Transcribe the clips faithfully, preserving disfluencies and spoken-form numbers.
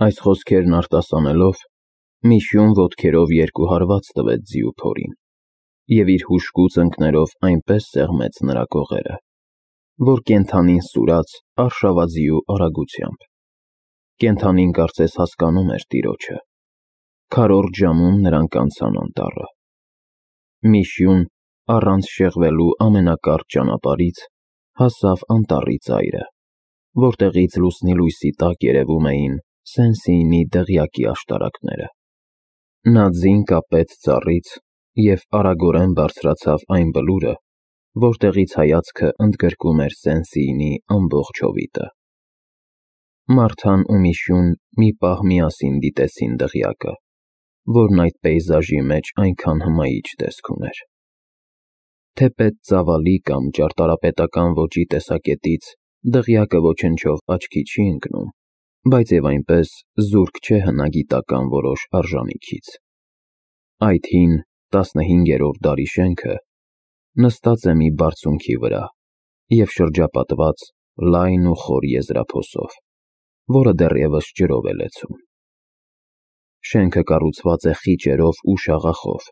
Այս խոսքերն արտասանելով, Միշուն ոտքերով երկու հարված տվեց ձիու փորին և իր հուժկու ծնկներով այնպես սեղմեց նրա կողերը, որ կենդանին սուրաց արշավաձիու արագությամբ. կենդանին կարծես հասկանում էր տիրոջը, քառորդ ժամում նրանք անցան անտառը։ Միշուն, առանց շեղվելու ամենակարճ ճանապարհից, հասավ անտառի ծայրը, որտեղից լուսնի լույսի տակ երևում էին Սենսեինի դղյակի աշտարակները։ Նա ձին կապեց ծառից և արագորեն բարձրացավ այն բլուրը, որտեղից հայացքը ընդգրկում էր Սենսեինի ամբողջ հովիտը։ Մարթան ու Միշուն մի պահ միասին դիտեցին դղյակը, որն այդ պեյզաժի մեջ այնքան հմայիչ տեսք ուներ։ Թեպետ ծավալի կամ ճարտարապետական ոճի տեսակետից դղյակը ոչնչով աչքի չի ընկնում, բայց և այնպես զուրկ չէ հնագիտական որոշ արժանիքից։ Այդ հին տասնհինգերորդ դարի շենքը նստած է մի բարձունքի վրա և շրջապատված լայն ու խոր եզրափոսով, որը դեռևս ջրով է լեցուն։ Շենքը կառուցված է խիճերով ու շաղախով,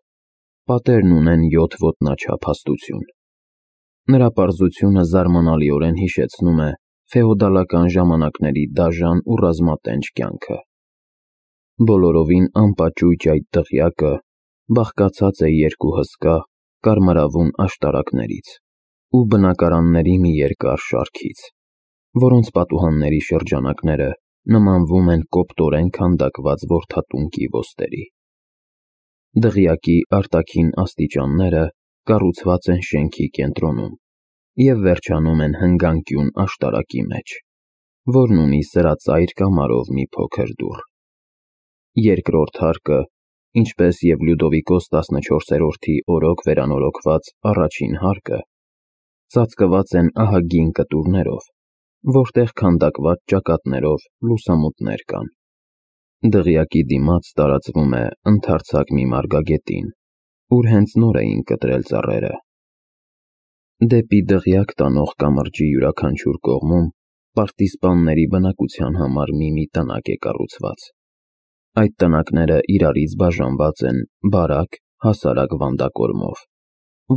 պատերն ունեն յոթ ոտնաչափ հաստություն։ Նրա պարզությունը զարմանալիորեն հիշեցնում է ֆեոդալական ժամանակների դաժան ու ռազմատենչ կյանքը։ Բոլորովին անպաճույճ այդ դղյակը բաղկացած է երկու հսկա, կարմրավուն աշտարակներից ու բնակարանների մի երկար շարքից, որոնց պատուհանների շրջանակները նմանվում են կոպտորեն քանդակված որդատունկի ոստերի։ Դղյակի արտաքին աստիճանները կառուցված են շենքի կենտրոնում և վերջանում են հնգանկյուն աշտարակի մեջ, որն ունի սրածայր կամարով մի փոքր դուռ։ Երկրորդ հարկը, ինչպես և Լյուդովիկոս տասնչորսերորդի օրոք վերանորոգված առաջին հարկը, ծածկված են ահագին կտուրներով, որտեղ քանդակված ճակատներով լուսամուտներ կան։ Դղյակի դիմաց տարածվում է ընդարձակ մի մարգագետին, ուր հենց նոր էին կտրել ծառերը։ Դեպի դղյակ տանող կամրջի յուրաքանչյուր կողմում պարտիզպանների բնակության համար մի-մի տնակ է կառուցված։ Այդ տնակները իրարից բաժանված են բարակ, հասարակ վանդակորմով,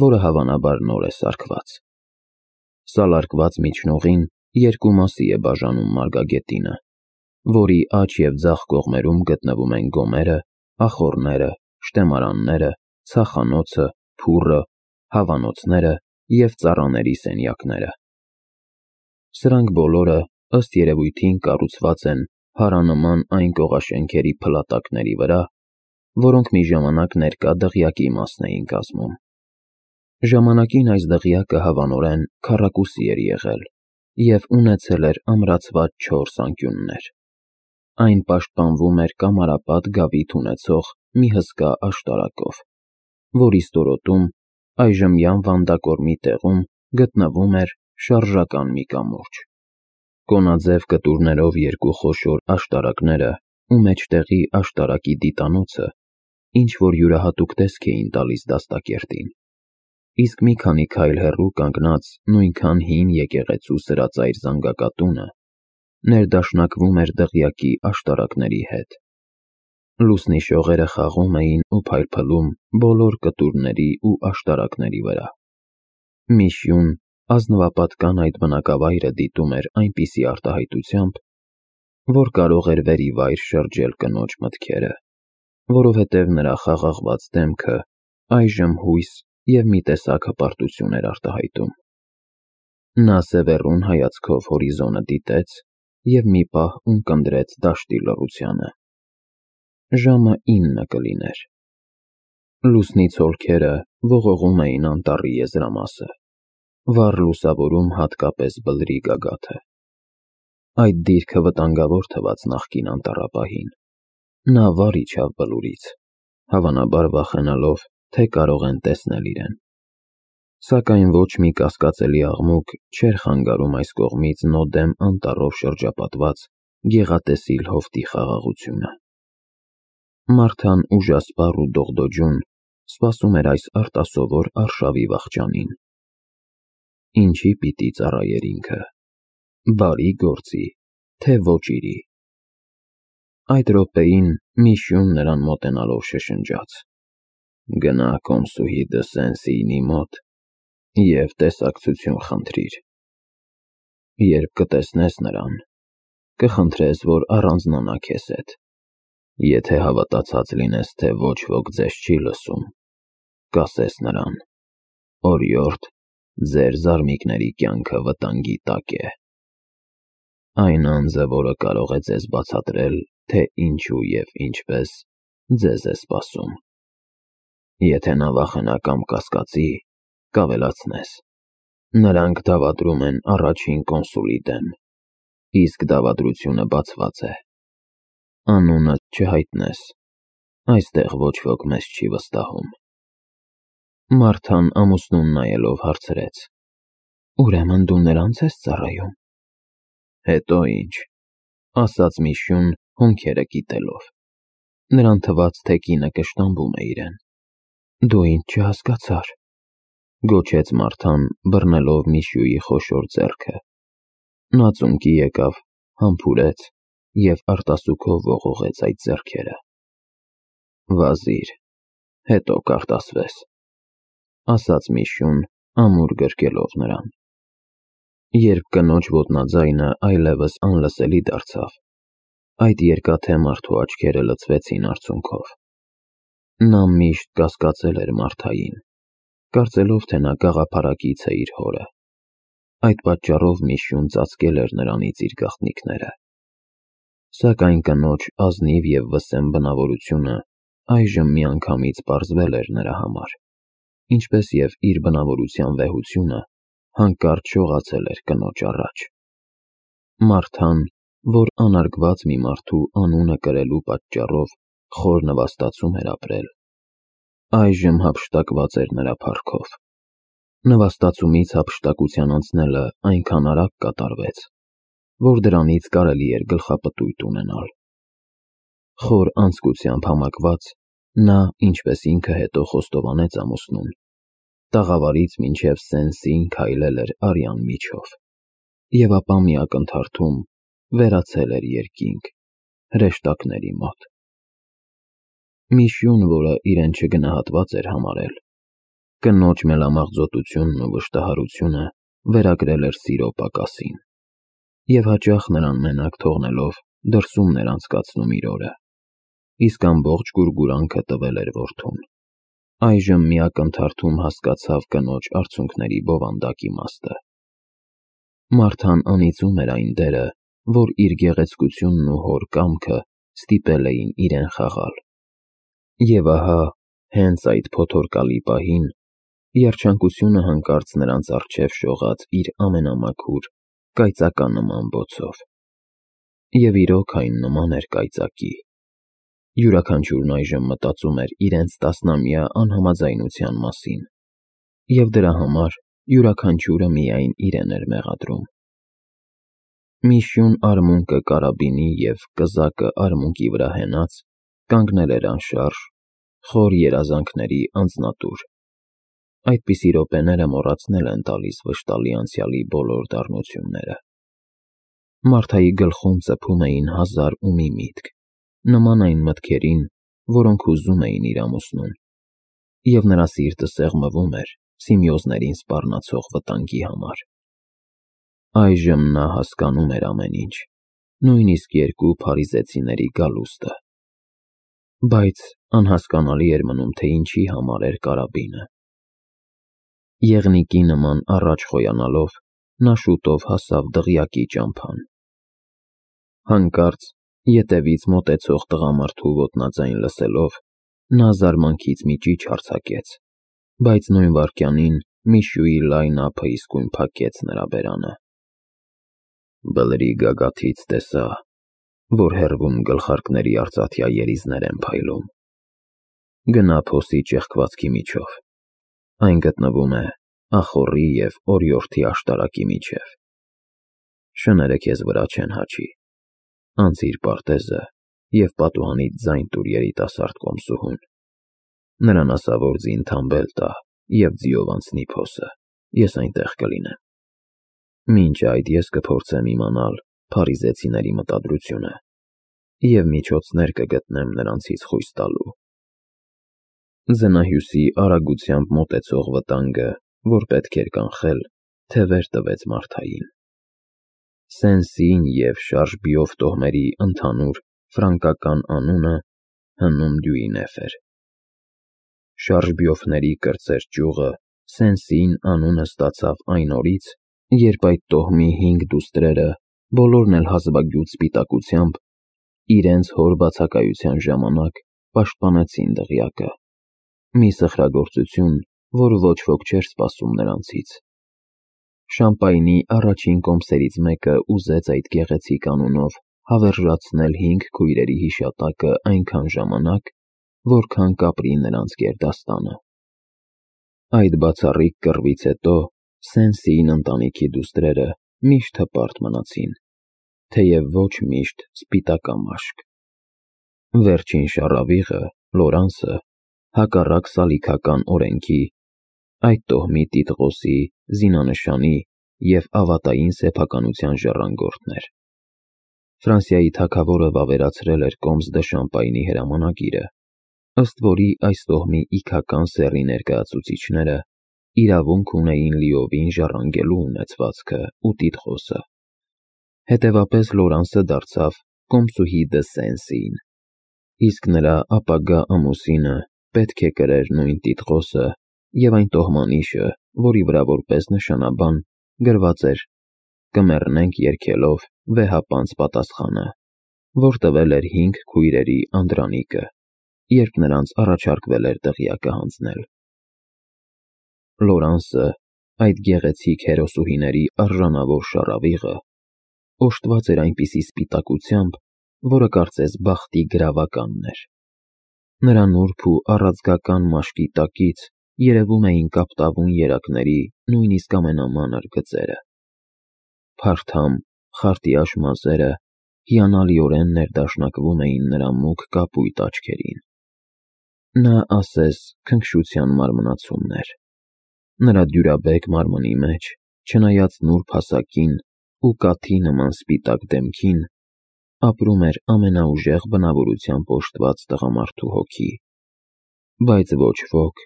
որը հավանաբար նոր է սարքված։ Սալարկված միջնողին երկու մասի է բաժանում մարգագետինը, որի աջ և ձախ կողմերում գտնվում են գոմերը, ախոռները, շտեմարանները, ցախանոցը, փուռը, հավանոցները և ծառաների սենյակները։ Սրանք բոլորը, ըստ երևույթին, կառուցված են հարանման այն կողաշենքերի փլատակների վրա, որոնք մի ժամանակ ներկա դղյակի մասն էին կազմում։ Ժամանակին այս դղյակը հավանորեն քառակուսի էր եղել և ունեցել էր ամրացված չորս անկյուններ։ Այն պաշտպանվում էր կամարապատ գավիթ ունեցող մի հսկա աշտարակով, որի ստորոտում, այժմյան վանդակորմի տեղում, գտնվում էր շարժական մի կամուրջ։ Կոնաձև կտուրներով երկու խոշոր աշտարակները ու մեջտեղի աշտարակի դիտանոցը ինչ-որ յուրահատուկ տեսք էին տալիս դաստակերտին, իսկ մի քանի քայլ հեռու կանգնած նույնքան հին եկեղեցու սրածայր զանգակատունը ներդաշնակվում էր դղյակի աշտարակների հետ։ Լուսնի շողերը խաղում էին ու փայլփլում բոլոր կտուրների ու աշտարակների վրա։ Միշուն ազնվապատկան այդ բնակավայրը դիտում էր այնպիսի արտահայտությամբ, որ կարող էր վերիվայր շրջել կնոջ մտքերը, որովհետև նրա խաղաղված դեմքը այժմ հույս և մի տեսակ հպարտություն էր արտահայտում։ Նա սևեռուն հայացքով հորիզոնը դիտեց և մի պահ ունկնդրեց դաշտի լռությանը։ Ժամը ինը կլիներ։ Լուսնի ցոլքերը ողողում էին անտառի եզրամասը, վառ լուսավորում հատկապես բլրի գագաթը։ Այդ դիրքը վտանգավոր թվաց նախկին անտառապահին։ Նա վար իջավ բլուրից, հավանաբար վախենալով, թե կարող են տեսնել իրեն։ Սակայն ոչ մի կասկածելի աղմուկ չէր խանգարում այս կողմից նոդեմ անտառով շրջապատված գեղատեսիլ հովտի խաղաղությունը։ Մարթան ուժասպառ ու դողդոջուն սպասում էր այս արտասովոր արշավի վախճանին։ Ինչի պիտի ծառայեր ինքը՝ բարի գործի, թե ոճիրի։ Այդ րոպեին Միշյուն նրան մոտենալով շշնջաց. «Գնա Կոմսուհի Դսենսիի մոտ և տեսակցություն խնդրիր։ Երբ կտեսնես նրան, կխնդրես, որ առանձնանա քեզ հետ։ Եթե հավատացած լինես, թե ոչ ոք ձեզ չի լսում, կասես նրան. օրիորդ, ձեր զարմիկների կյանքը վտանգի տակ է։ Այն անձը, որը կարող է ձեզ բացատրել, թե ինչու և ինչպես ձեզ է սպասում։ Եթե նա վախենա կամ կասկածի, կավելացնես. նրանք դավադրում են առաջին կոնսուլի դեմ, իսկ դավադրությունը բացված է։ Անունդ չհայտնես, այստեղ ոչ ոք մեզ չի վստահում»։ Մարթան ամուսնուն նայելով հարցրեց. «Ուրեմն դու նրանց ես ծառայում»։ «Հետո ինչ», ասաց Միշյուն հոնքերը կիտելով։ Նրան թվաց, թե կինը կշտամբում է իրեն։ «Դու ինձ չհասկացար», գոչեց Մարթան, բռնելով Միշյուի խոշոր ձեռքը։ Նա ծունկի եկավ, համբուրեց և արտասուքով ողողեց այդ ձեռքերը։ «Վազիր, հետո կարտասվես», ասաց Միշյուն, ամուր գրկելով նրան։ Երբ կնոջ ոտնաձայնը այլևս անլսելի դարձավ, այդ երկաթե մարդու աչքերը լցվեցին արցունքով։ Նա միշտ կասկածել էր Մարթային, կարծելով, թե նա գաղափարակից է իր հորը։ Այդ պատճառով Միշյուն ծածկել էր նրանից իր գաղտնիքները։ Սակայն կնոջ ազնիվ և վսեմ բնավորությունը այժմ միանգամից պարզվել էր նրա համար, ինչպես և իր բնավորության վեհությունը հանկարծ շողացել էր կնոջ առաջ։ Մարթան, որ անարգված մի մարդու անունը կրելու պատճառով խոր նվաստացում էր ապրել, այժմ հափշտակված էր նրա փառքով։ Նվաստացումից հափշտակության անցնելը այնքան արագ կատարվեց, որ դրանից կարելի էր գլխապտույտ ունենալ։ Խոր անձկությամբ համակված, նա, ինչպես ինքը հետո խոստովանեց ամուսնուն, տաղավարից մինչև Սեն-Սին քայլել էր արյան միջով, և ապա մի ակնթարթում վերացել էր երկինք, հրեշտակների մոտ։ Միշյուն, որը իրեն չգնահատված էր համարել, կնոջ մելամաղձոտությունն ու վշտահարությունը վերագրել էր սիրո պակասին, և հաճախ նրան մենակ թողնելով դրսումն էր անցկացնում իր օրը, իսկ ամբողջ գուրգուրանքը տվել էր որդուն։ Այժմ մի ակնթարթում հասկացավ կնոջ արցունքների բովանդակ իմաստը։ Մարթան անիծում էր այն դերը, որ իր գեղեցկությունն ու հոր կամքը ստիպել էին իրեն խաղալ։ Եվ ահա, հենց այդ փոթորկալի պահին, երջանկությունը հանկարծ նրանց առջև շողաց իր ամենամաքուր, կայծականման բոցով։ Եվ իրոք այն նման էր կայծակի։ Յուրաքանչյուրն այժմ մտածում էր իրենց տասնամյա անհամաձայնության մասին, և դրա համար յուրաքանչյուրը միայն իրեն էր մեղադրում։ Միշյուն արմունկը կարաբինի և կզակը արմունկի վրա հենած, կանգնել էր անշարժ, խոր երազանքների անձնատուր։ Այդպիսի րոպեները մոռացնել են տալիս վշտալի անցյալի բոլոր դառնությունները։ Մարթայի գլխում ծփում էին հազար ու մի միտք, նման այն մտքերին, որոնք հուզում էին իր ամուսնուն, և նրա սիրտը սեղմվում էր սիմեոզներին սպառնացող վտանգի համար։ Այժմ նա հասկանում էր ամեն ինչ, նույնիսկ երկու փարիզեցիների գալուստը։ Բայց անհասկանալի էր մնում, թե ինչի համար էր կարաբինը։ Եղնիկի նման առաջ խոյանալով, նա շուտով հասավ դղյակի ճամփան։ Հանկարծ ետևից մոտեցող տղամարդու ոտնաձայն լսելով, նա զարմանքից մի ճիչ արձակեց, բայց նույն վայրկյանին Միշյուի լայն ափը իսկույն փակեց նրա բերանը։ Բլրի գագաթից տեսա, որ հեռվում գլխարկների արծաթյա երիզներ են փայլում։ Գնա փոսի ճեղքվածքի միջով, այն գտնվում է ախոռի և օրիորդի աշտարակի միջև։ Շները քեզ վրա չեն հաչի, անցիր պարտեզը և պատուհանից ձայն տուր երիտասարդ Կոմսուհուն։ Նրան ասա, որ ձին թամբել տա և ձիով անցնի փոսը, ես այնտեղ կլինեմ։ Մինչ այդ ես կփորձեմ իմանալ փարիզեցիների մտադրությունը և միջոցներ կգտնեմ նրանցից խույս տալու։ Զնահյուսի արագությամբ մոտեցող վտանգը, որ պետք էր կանխել, թևեր տվեց Մարթային։ Սենսին և Շարժբիով տոհմերի ընդհանուր ֆրանկական անունը հնում Դյուինեֆ էր։ Շարժբիովների կրտսեր ճյուղը Սենսիին անունը ստացավ այն օրից, երբ այդ տոհմի հինգ դուստրերը, բոլորն էլ հազվագյուտ սպիտակությամբ, իրենց հոր բացակայության ժամանակ պաշտպանեցին դղյակը։ Մի սխրագործություն, որ ոչ ոք չէր սպասում նրանցից։ Շամպայնի առաջին կոմսերից մեկը ուզեց այդ գեղեցիկ անունով հավերժացնել հինգ քույրերի հիշատակը այնքան ժամանակ, որքան կապրի նրանց գերդաստանը։ Այդ բացառիկ կռվից հետո Սենսիին ընտանիքի դուստրերը միշտ հպարտ մնացին, թեև ոչ միշտ սպիտակամաշկ։ Վերջին շառավիղը՝ Լորանսը, հակառակ սալիքական օրենքի, այդ տոհմի տիտղոսի, զինանշանի և ավատային սեփականության ժառանգորդն էր։ Ֆրանսիայի թագավորը վավերացրել էր Կոմս դը Շամպայնի հրամանագիրը, ըստ որի այս տոհմի իգական սեռի ներկայացուցիչները իրավունք ունեին լիովին ժառանգելու ունեցվածքը ու տիտղոսը։ Հետևապես Լորանսը դարձավ կոմսուհի դը Սենսին, իսկ նրա ապագա ամուսինը պետք է կրեր նույն տիտղոսը և այն տոհմանիշը, որի վրա որպես նշանաբան գրված էր «Կմեռնենք երգելով» վեհապանծ պատասխանը, որ տվել էր հինգ քույրերի Անդրանիկը, երբ նրանց առաջարկվել էր դղյակը հանձնել։ Լորանսը, այդ գեղեցիկ հերոսուհիների արժանավոր շառավիղը, օժտված էր այնպիսի սպիտակությամբ, որը կարծես բախտի գրավականն էր։ Նրա նուրբ ու առաձգական մաշկի տակից երևում էին կապտավուն երակների նույնիսկ ամենամանր գծերը։ Փարթամ, խարտիաշ մազերը հիանալիորեն ներդաշնակվում էին նրա մուգ կապույտ աչքերին։ Նա ասես քնքշության մարմնացումն էր։ Նրա դյուրաբեկ մարմնի մեջ, չնայած նուրբ հասակին ու կաթի նման սպիտակ դեմքին, ապրում էր ամենաուժեղ բնավորությամբ օժտված տղամարդու հոգի, բայց ոչ ոք,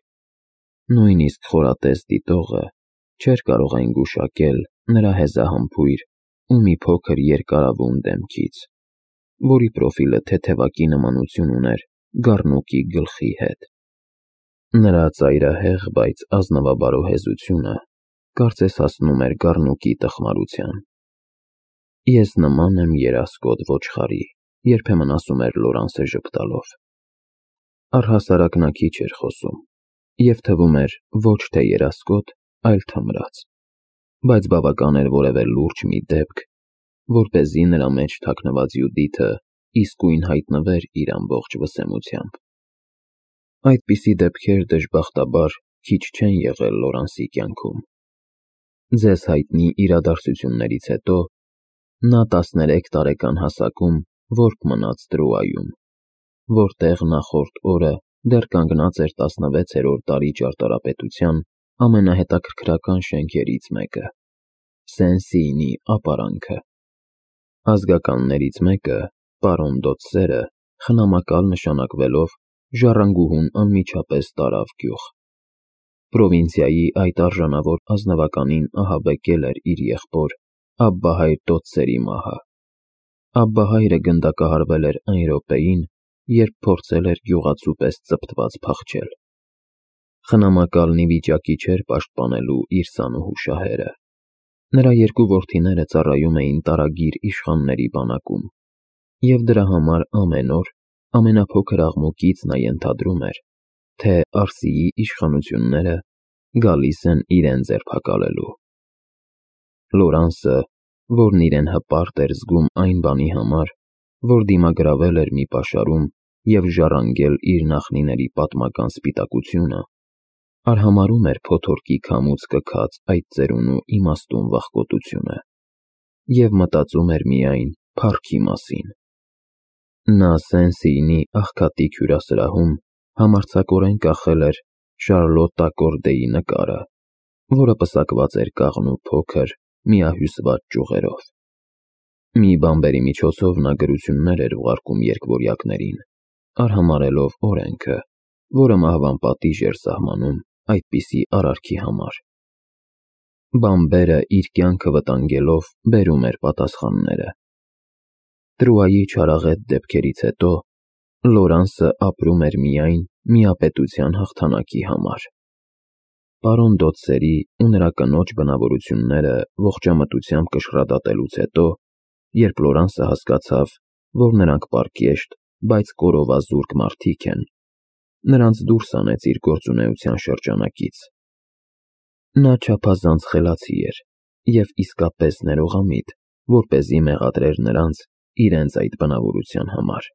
նույնիսկ խորատես դիտողը, չէր կարող այն գուշակել նրա հեզահամբույր ու մի փոքր երկարավուն դեմքից, որի պրոֆիլը թեթևակի նմանություն ուներ գառնուկի գլխի հետ։ Նրա ծայրահեղ, բայց ազնվաբարո հեզությունը կարծես հասնում էր գառնուկի տխմարության։ «Ես նման եմ երասկոտ ոչխարի», երբեմն ասում էր Լորանսը ժպտալով։ Առհասարակ նա քիչ էր խոսում, և թվում էր ոչ թե երասկոտ, այլ թմրած, բայց բավական էր որևէ լուրջ մի դեպք, որպեսզի նրա մեջ թաքնված Յուդիթը իսկույն հայտնվեր իր ամբողջ վսեմությամբ։ Այդպիսի դեպքեր, դժբախտաբար, քիչ չեն եղել Լորանսի կյանքում։ Ձեզ հայտնի իրադարձություններից հետո նա տասներեք տարեկան հասակում որբ մնաց Տրուայում, որտեղ նախորդ օրը դեռ կանգնած էր տասնվեցերորդ դարի ճարտարապետության ամենահետաքրքրական շենքերից մեկը՝ Սենսիինի ապարանքը։ Ազգականներից մեկը, պարոն Դոցսերը, խնամակալ նշանակվելով, ժառանգուհուն անմիջապես տարավ գյուղ։ Պրովինցիայի այդ արժանավոր ազնվականին ահաբեկել էր իր եղբոր Աբբահայր Դոցսերի մահը։ Աբբահայրը գնդակահարվել էր այն րոպեին, երբ փորձել էր գյուղացու պես ծպտված փախչել։ Խնամակալն ի վիճակի չէր պաշտպանելու իր սանուհու շահերը։ Նրա երկու որդիները ծառայում էին տարագիր իշխանների բանակում, և դրա համար ամեն օր ամենափոքր աղմուկից նա ենթադրում էր, թե Արսիի իշխանությունները գալիս են իրեն ձերբակալելու։ Լորանսը, որն իրեն հպարտ էր զգում այն բանի համար, որ դիմագրավել էր մի պաշարում և ժառանգել իր նախնիների պատմական սպիտակությունը, արհամարհում էր փոթորկի քամուց կքած այդ ծերունու իմաստուն վախկոտությունը և մտածում էր միայն փառքի մասին։ Նա Սենսիինի աղքատիկ հյուրասրահում համարձակորեն կախել էր Շարլոտ Ակորդեի նկարը, որը պսակված էր կաղնու փոքր, միահյուսված ճյուղերով։ Մի բանբերի միջոցով նա գրություններ էր ուղարկում երկվորյակներին, արհամարհելով օրենքը, որը մահվան պատիժ էր սահմանում այդպիսի արարքի համար։ Բանբերը իր կյանքը վտանգելով բերում էր պատասխանները։ Տրուայի չարաղետ դեպքերից հետո Լորանսը ապրում էր միայն միապետության հաղթանակի համար։ Պարոն Դոթսերի ու նրա կնոջ բնավորությունները ողջամտությամբ կշռադատելուց հետո, երբ Լորանսը հասկացավ, որ նրանք պարկեշտ, բայց կորովազուրկ մարդիկ են, նրանց դուրս հանեց իր գործունեության շրջանակից։ Նա չափազանց խելացի էր և իսկապես ներողամիտ, որպեսզի մեղադրեր նրանց իրենց այդ բնավորության համար։